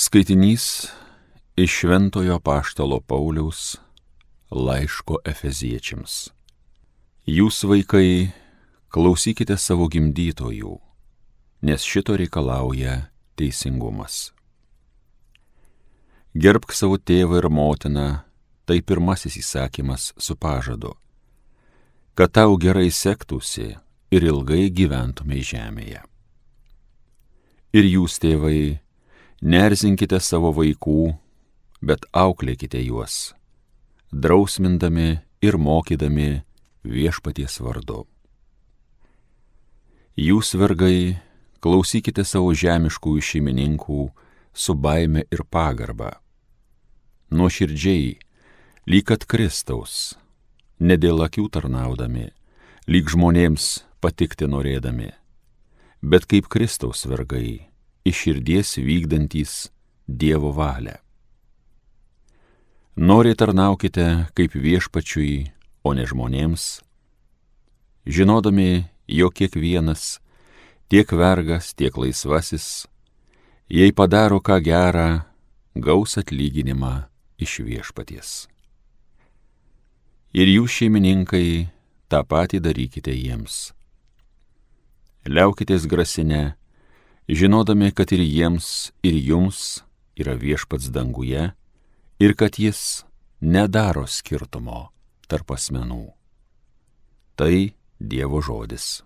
Skaitinys iš Šventojo apaštalo Pauliaus laiško Efeziečiams. Jūs, vaikai, klausykite savo gimdytojų, nes šito reikalauja teisingumas. Gerbk savo tėvą ir motiną, tai pirmasis įsakymas su pažadu, kad tau gerai sektųsi ir ilgai gyventumei žemėje. Ir jūs, tėvai, neerzinkite savo vaikų, bet auklėkite juos, drausmindami ir mokydami Viešpaties vardu. Jūs, vergai, klausykite savo žemiškųjų šeimininkų su baime ir pagarba, nuoširdžiai, lyg kad Kristaus, ne dėl akių tarnaudami, lyg žmonėms patikti norėdami, bet kaip Kristaus vergai, iš širdies vykdantys Dievo valią. Noriai tarnaukite kaip Viešpačiui, o ne žmonėms, žinodami, jog kiekvienas, tiek vergas, tiek laisvasis, jei padaro ką gerą, gaus atlyginimą iš Viešpaties. Ir jūs, šeimininkai, tą patį darykite jiems. Liaukitės grasinę, žinodami, kad ir jiems, ir jums yra Viešpats danguje, ir kad jis nedaro skirtumo tarp asmenų. Tai Dievo žodis.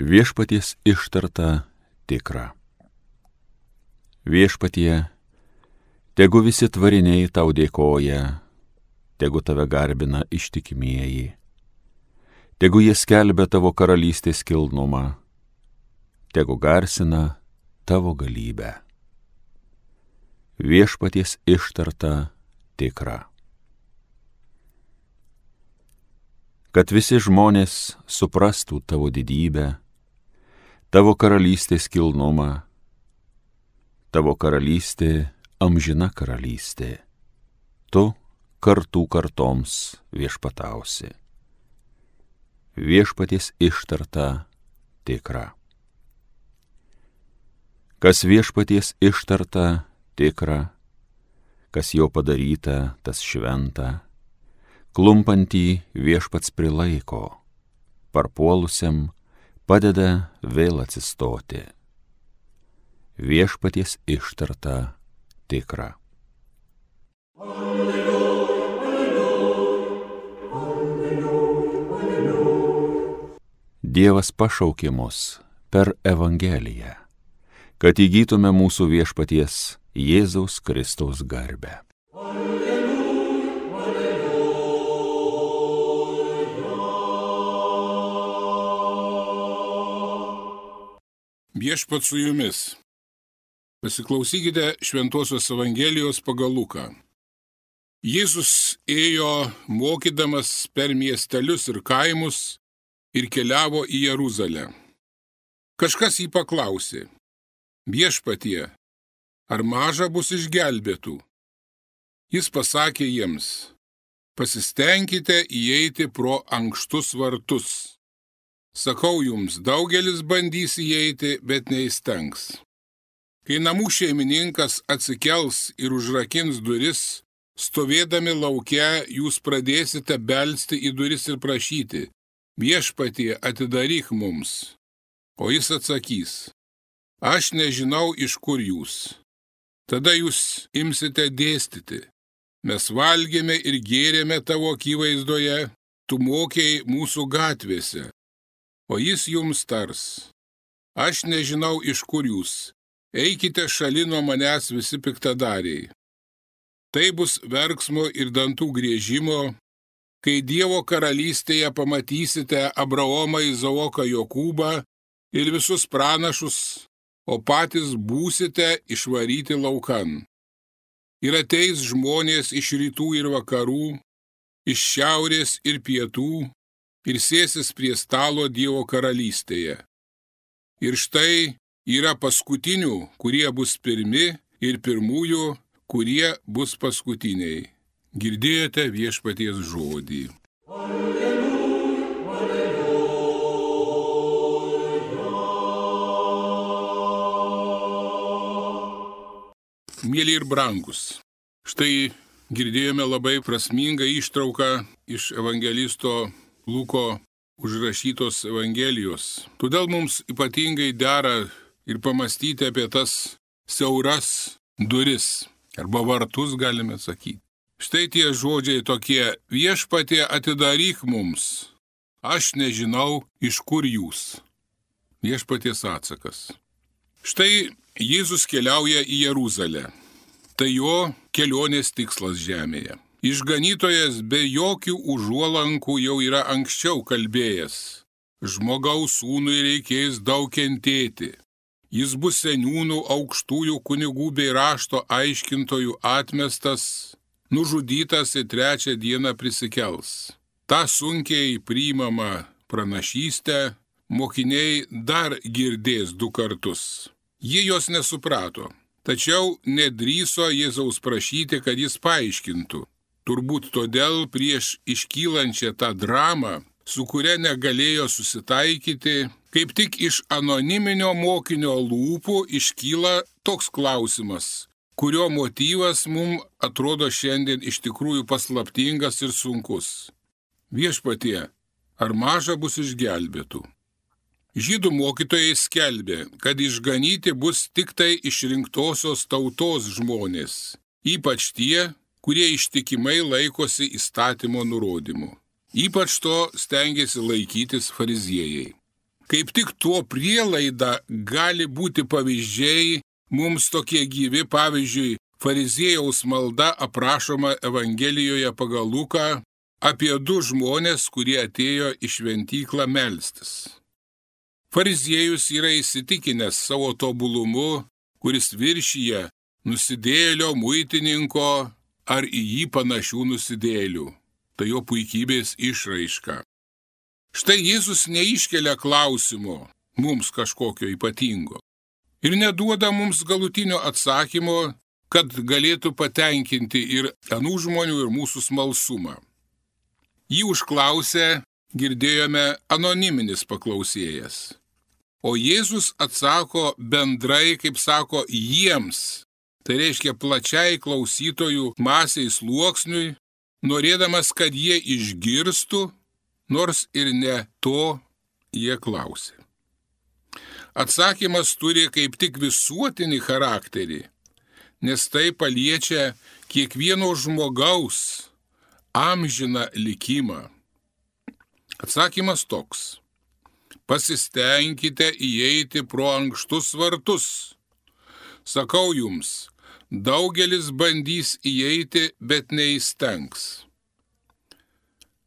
Viešpaties ištarta tikra. Viešpatie, tegu visi tvariniai tau dėkoja, tegu tave garbina ištikimieji, tegu jie skelbia tavo karalystės kilnumą, tegu garsina tavo galybę. Viešpaties ištarta tikra. Kad visi žmonės suprastų tavo didybę, tavo karalystės kilnumą, tavo karalystė amžina karalystė, tu kartų kartoms viešpatausi. Viešpaties ištarta tikra. Kas Viešpaties ištarta tikra, kas jo padaryta, tas šventa, klumpantį Viešpats prilaiko, parpuolusiam padeda vėl atsistoti. Viešpaties ištarta tikra. Dievas pašaukė mus per Evangeliją, kad įgytume mūsų Viešpaties Jėzaus Kristaus garbę. Viešpats su jumis. Pasiklausykite Šventosios Evangelijos pagal Luką. Jėzus ėjo mokydamas per miestelius ir kaimus ir keliavo į Jeruzalę. Kažkas jį paklausė: Viešpatie, ar maža bus išgelbėtų? Jis pasakė jiems: pasistengkite įeiti pro ankštus vartus. Sakau jums, daugelis bandys įeiti, bet neįstengs. Kai namų šeimininkas atsikels ir užrakins duris, stovėdami lauke jūs pradėsite belsti į duris ir prašyti: Viešpatie, atidaryk mums. O jis atsakys: aš nežinau, iš kur jūs. Tada jūs imsite dėstyti: mes valgėme ir gėrėme tavo akivaizdoje, tu mokėjai mūsų gatvėse. O jis jums tars: aš nežinau, iš kur jūs. Eikite šalin nuo manęs visi piktadariai. Tai bus verksmo ir dantų griežimo, kai Dievo karalystėje pamatysite Abraomą, Izaoką, Jokūbą ir visus pranašus, o patys būsite išvaryti laukan. Ir ateis žmonės iš rytų ir vakarų, iš šiaurės ir pietų, ir sėsis prie stalo Dievo karalystėje. Ir štai yra paskutinių, kurie bus pirmi, ir pirmųjų, kurie bus paskutiniai. Girdėjote Viešpaties žodį. Mėly ir brangus, štai girdėjome labai prasmingą ištrauką iš evangelisto Luko užrašytos Evangelijos. Todėl mums ypatingai dera ir pamastyti apie tas siauras duris, arba vartus galime sakyti. Štai tie žodžiai tokie: Viešpatie, atidaryk mums, aš nežinau, iš kur jūs. Viešpaties atsakas. Štai Jėzus keliauja į Jeruzalę. Tai jo kelionės tikslas žemėje. Išganytojas be jokių užuolankų jau yra anksčiau kalbėjęs. Žmogaus sūnui reikės daug kentėti. Jis bus seniūnų, aukštųjų kunigų bei rašto aiškintojų atmestas, nužudytas ir 3 dieną prisikels. Ta sunkiai priimama pranašystė mokiniai dar girdės 2 kartus. Jie jos nesuprato, tačiau nedrįso Jėzaus prašyti, kad jis paaiškintų. Turbūt todėl prieš iškylančią tą dramą, su kuria negalėjo susitaikyti, kaip tik iš anoniminio mokinio lūpų iškyla toks klausimas, kurio motyvas mums atrodo šiandien iš tikrųjų paslaptingas ir sunkus. Viešpatie, ar maža bus išgelbėtų? Žydų mokytojai skelbė, kad išganyti bus tik tai išrinktosios tautos žmonės, ypač tie, kurie ištikimai laikosi įstatymo nurodymų. Ypač to stengiasi laikytis fariziejai. Kaip tik tuo prielaida gali būti pavyzdžiai mums tokie gyvi, pavyzdžiui, fariziejaus malda aprašoma Evangelijoje pagal Luką apie 2 žmonės, kurie atėjo į šventyklą melstis. Fariziejus yra įsitikinęs savo tobulumu, kuris viršyje nusidėjėlio, muitininko ar į jį panašių nusidėjėlių. Tai jo puikybės išraiška. Štai Jėzus neiškelia klausimo mums kažkokio ypatingo ir neduoda mums galutinio atsakymo, kad galėtų patenkinti ir anų žmonių, ir mūsų smalsumą. Jį užklausė, girdėjome, anoniminis paklausėjas. O Jėzus atsako bendrai, kaip sako, jiems, tai reiškia plačiai klausytojų masiai sluoksniui, norėdamas, kad jie išgirstų, nors ir ne to jie klausė. Atsakymas turi kaip tik visuotinį charakterį, nes tai paliečia kiekvieno žmogaus amžiną likimą. Atsakymas toks: pasistengkite įeiti pro ankštus vartus. Sakau jums, daugelis bandys įeiti, bet neįstengs.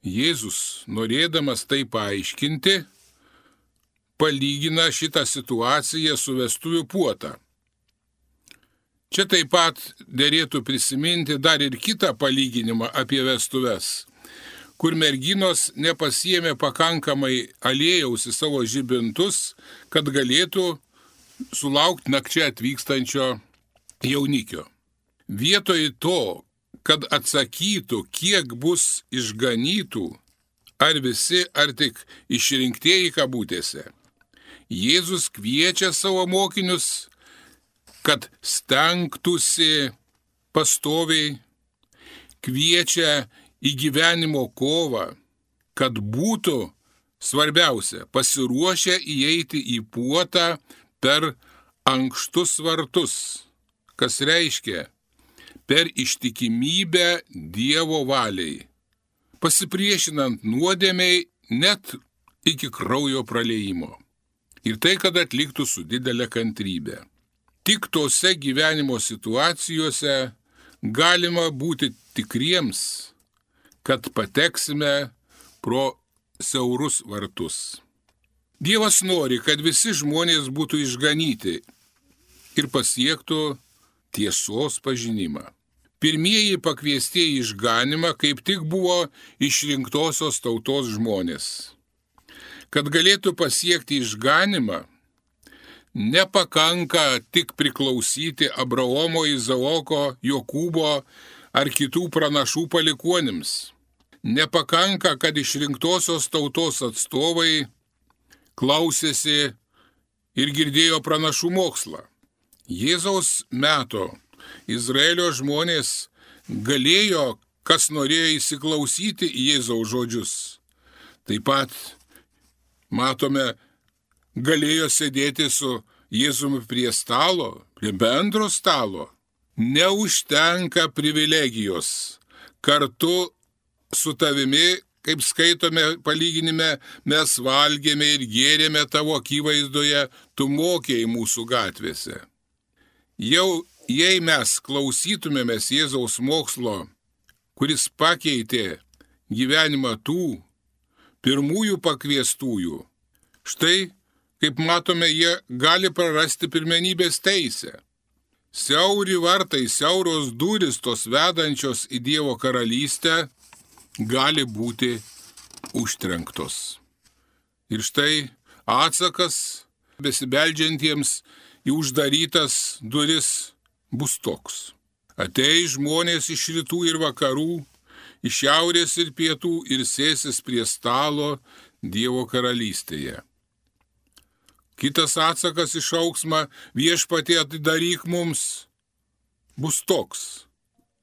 Jėzus, norėdamas tai paaiškinti, palygina šitą situaciją su vestuvių puota. Čia taip pat derėtų prisiminti dar ir kitą palyginimą apie vestuves, kur merginos nepasiėmė pakankamai aliejaus į savo žibintus, kad galėtų sulaukti nakčia atvykstančio jaunikio. Vietoj to, kad atsakytų, kiek bus išganytų, ar visi, ar tik išrinktieji kabutėse, Jėzus kviečia savo mokinius, kad stengtųsi pastoviai, kviečia į gyvenimo kovą, kad būtų, svarbiausia, pasiruošę įeiti į puotą per ankštus vartus, kas reiškia per ištikimybę Dievo valiai, pasipriešinant nuodėmei net iki kraujo praliejimo. Ir tai, kad atliktų su didelė kantrybė. Tik tose gyvenimo situacijose galima būti tikriems, kad pateksime pro siaurus vartus. Dievas nori, kad visi žmonės būtų išganyti ir pasiektų tiesos pažinimą. pirmieji pakviestieji išganimą kaip tik buvo išrinktosios tautos žmonės. Kad galėtų pasiekti išganimą, nepakanka tik priklausyti Abraomo, Izaoko, Jokūbo ar kitų pranašų palikuonims. Nepakanka, kad išrinktosios tautos atstovai klausėsi ir girdėjo pranašų mokslą. Jėzaus meto Izraelio žmonės galėjo, kas norėjo įsiklausyti į Jėzaus žodžius. Taip pat, matome, galėjo sėdėti su Jėzumi prie stalo, prie bendro stalo. Neužtenka privilegijos. Kartu su tavimi, kaip skaitome palyginime, mes valgėme ir gėrėme tavo akivaizdoje, tu mokėjai mūsų gatvėse. Jau jei mes klausytumėmės Jėzaus mokslo, kuris pakeitė gyvenimą tų pirmųjų pakviestųjų, štai, kaip matome, jie gali prarasti pirmenybės teisę. Siauri vartai, siauros durys, tos vedančios į Dievo karalystę, gali būti užtrenktos. Ir štai atsakas besibeldžiantiems į uždarytas duris bus toks. Ateis žmonės iš rytų ir vakarų, iš šiaurės ir pietų ir sėsis prie stalo Dievo karalystėje. Kitas atsakas į šauksmą viešpatie atidaryk mums bus toks.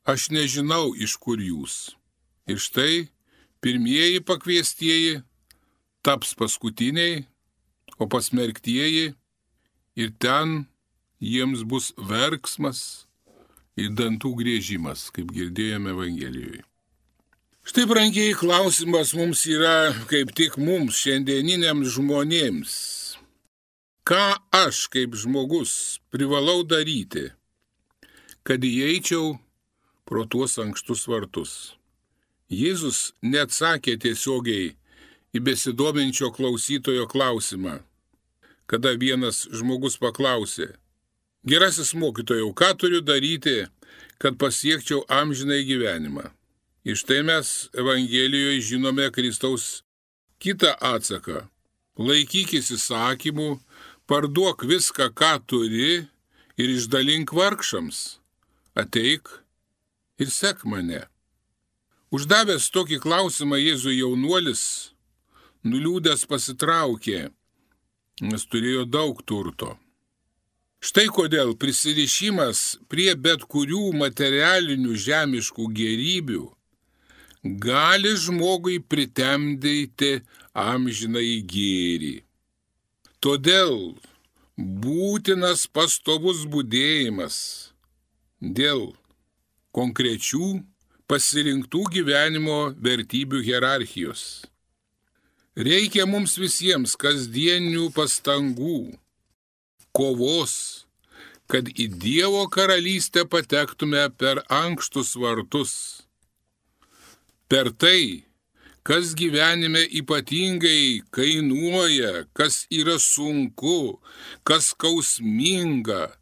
Aš nežinau, iš kur jūs. Ir štai pirmieji pakviestieji taps paskutiniai, o pasmerktieji ir ten jiems bus verksmas ir dantų griežimas, kaip girdėjome Evangelijoje. Štai, brangieji, klausimas mums yra kaip tik mums, šiandieniniams žmonėms. Ką aš kaip žmogus privalau daryti, kad įeičiau pro tuos ankštus vartus? Jėzus neatsakė tiesiogiai į besidominčio klausytojo klausimą, kada vienas žmogus paklausė: Gerasis mokytojau, ką turiu daryti, kad pasiekčiau amžinąjį gyvenimą? Ir štai mes Evangelijoje žinome Kristaus kitą atsaką: laikykis įsakymų, parduok viską, ką turi, ir išdalink vargšams, ateik ir sek mane. Uždavęs tokį klausimą Jėzui jaunuolis, nuliūdęs pasitraukė, nes turėjo daug turto. Štai kodėl prisirišimas prie bet kurių materialinių žemiškų gėrybių gali žmogui pritemdyti amžinąjį gėrį. Todėl būtinas pastovus budėjimas dėl konkrečių pasirinktų gyvenimo vertybių hierarchijos. Reikia mums visiems kasdienių pastangų, kovos, kad į Dievo karalystę patektume per ankštus vartus. Per tai, kas gyvenime ypatingai kainuoja, kas yra sunku, kas skausminga,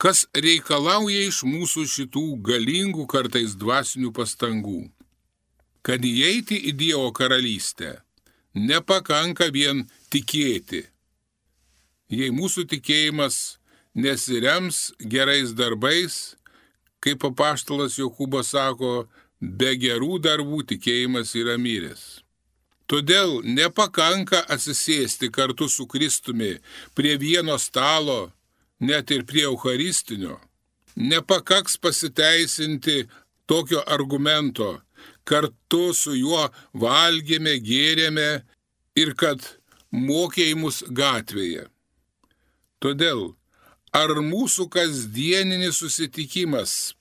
kas reikalauja iš mūsų šitų galingų kartais dvasinių pastangų. Kad įeiti į Dievo karalystę, nepakanka vien tikėti. Jei mūsų tikėjimas nesirems gerais darbais, kaip apaštalas Jokūbas sako, be gerų darbų tikėjimas yra miręs. Todėl nepakanka atsisėsti kartu su Kristumi prie vieno stalo, net ir prie Eucharistinio. Nepakaks pasiteisinti tokio argumento: kartu su juo valgėme, gėrėme ir kad mokėjai mus gatvėje. Todėl, ar mūsų kasdieninis susitikimas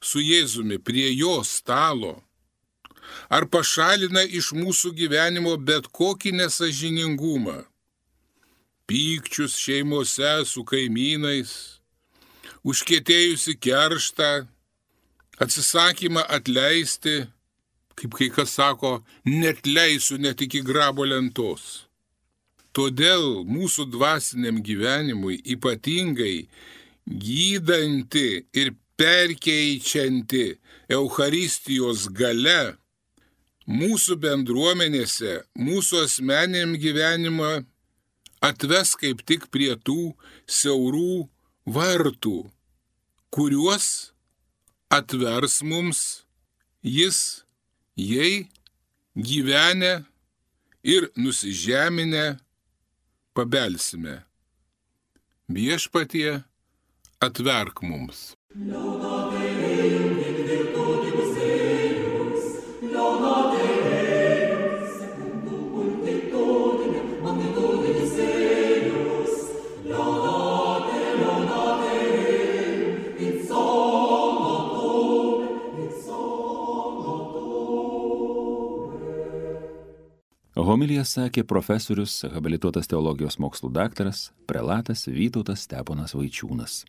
su Jėzumi prie jo stalo, ar pašalina iš mūsų gyvenimo bet kokį nesažiningumą, pykčius šeimose su kaimynais, užkietėjusi kerštą, atsisakymą atleisti, kaip kai kas sako, neatleisiu net iki grabo lentos. Todėl mūsų dvasiniam gyvenimui ypatingai gydanti ir perkeičianti Eucharistijos galia mūsų bendruomenėse, mūsų asmeniniam gyvenimą atves kaip tik prie tų siaurų vartų, kuriuos atvers mums jis, jei gyvenę ir nusižeminę pabelsime. Viešpatie, atverk mums. Homiliją sakė profesorius, habilituotas teologijos mokslų daktaras, prelatas Vytautas Steponas Vaičiūnas.